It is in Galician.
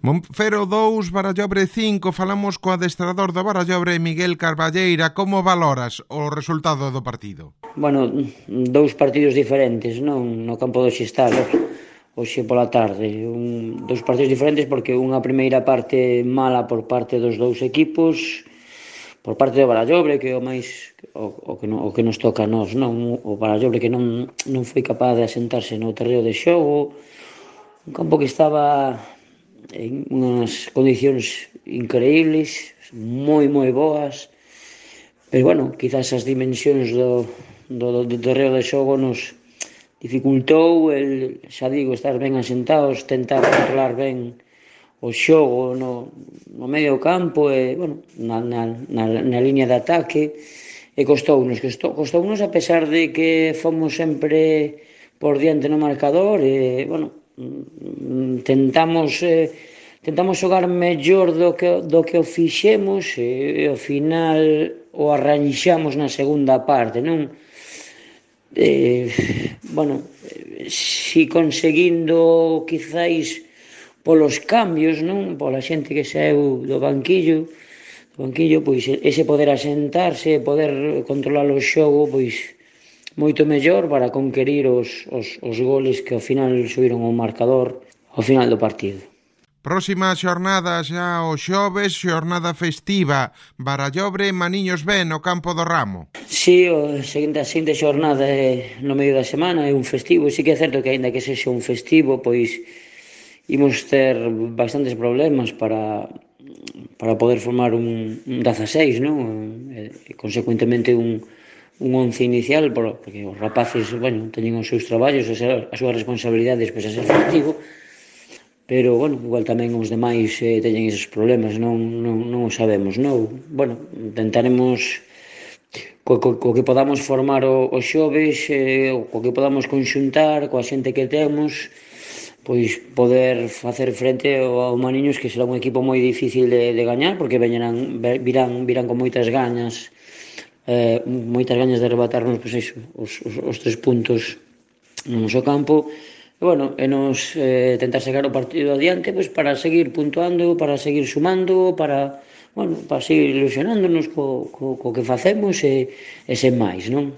Monfero 2, Barallobre 5, falamos co adestrador do Barallobre, Miguel Carballeira. Como valoras o resultado do partido? Bueno, dous partidos diferentes, non? No campo do Xistalo, hoxe pola tarde. Dous partidos diferentes porque unha primeira parte mala por parte dos dous equipos, por parte do Barallobre, que é o máis o que nos toca a nós, non? O Barallobre que non foi capaz de asentarse no terreo de xogo, un campo que estaba en unhas condicións increíbles, moi boas, pero bueno, quizás as dimensións do terreo de xogo nos dificultou xa digo, estar ben asentados, tentar controlar ben o xogo no medio campo e, bueno, na liña de ataque, e costounos a pesar de que fomos sempre por diante no marcador e, bueno, tentamos xogar mellor do que o fixemos e ao final o arranxamos na segunda parte, non? Bueno, si conseguindo quizáis polos cambios, non? Pola xente que saeu do banquillo, pois ese poder asentarse, poder controlar o xogo, pois moito mellor para conquerir os goles que ao final subiron ao marcador ao final do partido. Próxima xornada xa o xoves, xornada festiva, Barallobre, Maniños ben no campo do Ramo. Si, a seguinte xornada é no medio da semana, é un festivo, e si que é certo que aínda que sexa un festivo, pois imos ter bastantes problemas para poder formar un 16, non? E consecuentemente un 11 inicial, porque os rapaces, bueno, teñen os seus traballos, as súas responsabilidades, pois a ser festivo, pero, bueno, igual tamén os demais teñen esos problemas, non o sabemos, non? Bueno, intentaremos co que podamos formar o xoves, co que podamos conxuntar coa xente que temos, pois poder facer frente ao Maniños, que será un equipo moi difícil de gañar, porque virán con moitas gañas de arrebatarnos, pois iso, os 3 puntos no noso campo, e bueno, e nos tentar sacar o partido adiante, pois para seguir puntuando, para seguir sumando, para seguir ilusionándonos co que facemos e sen máis, non?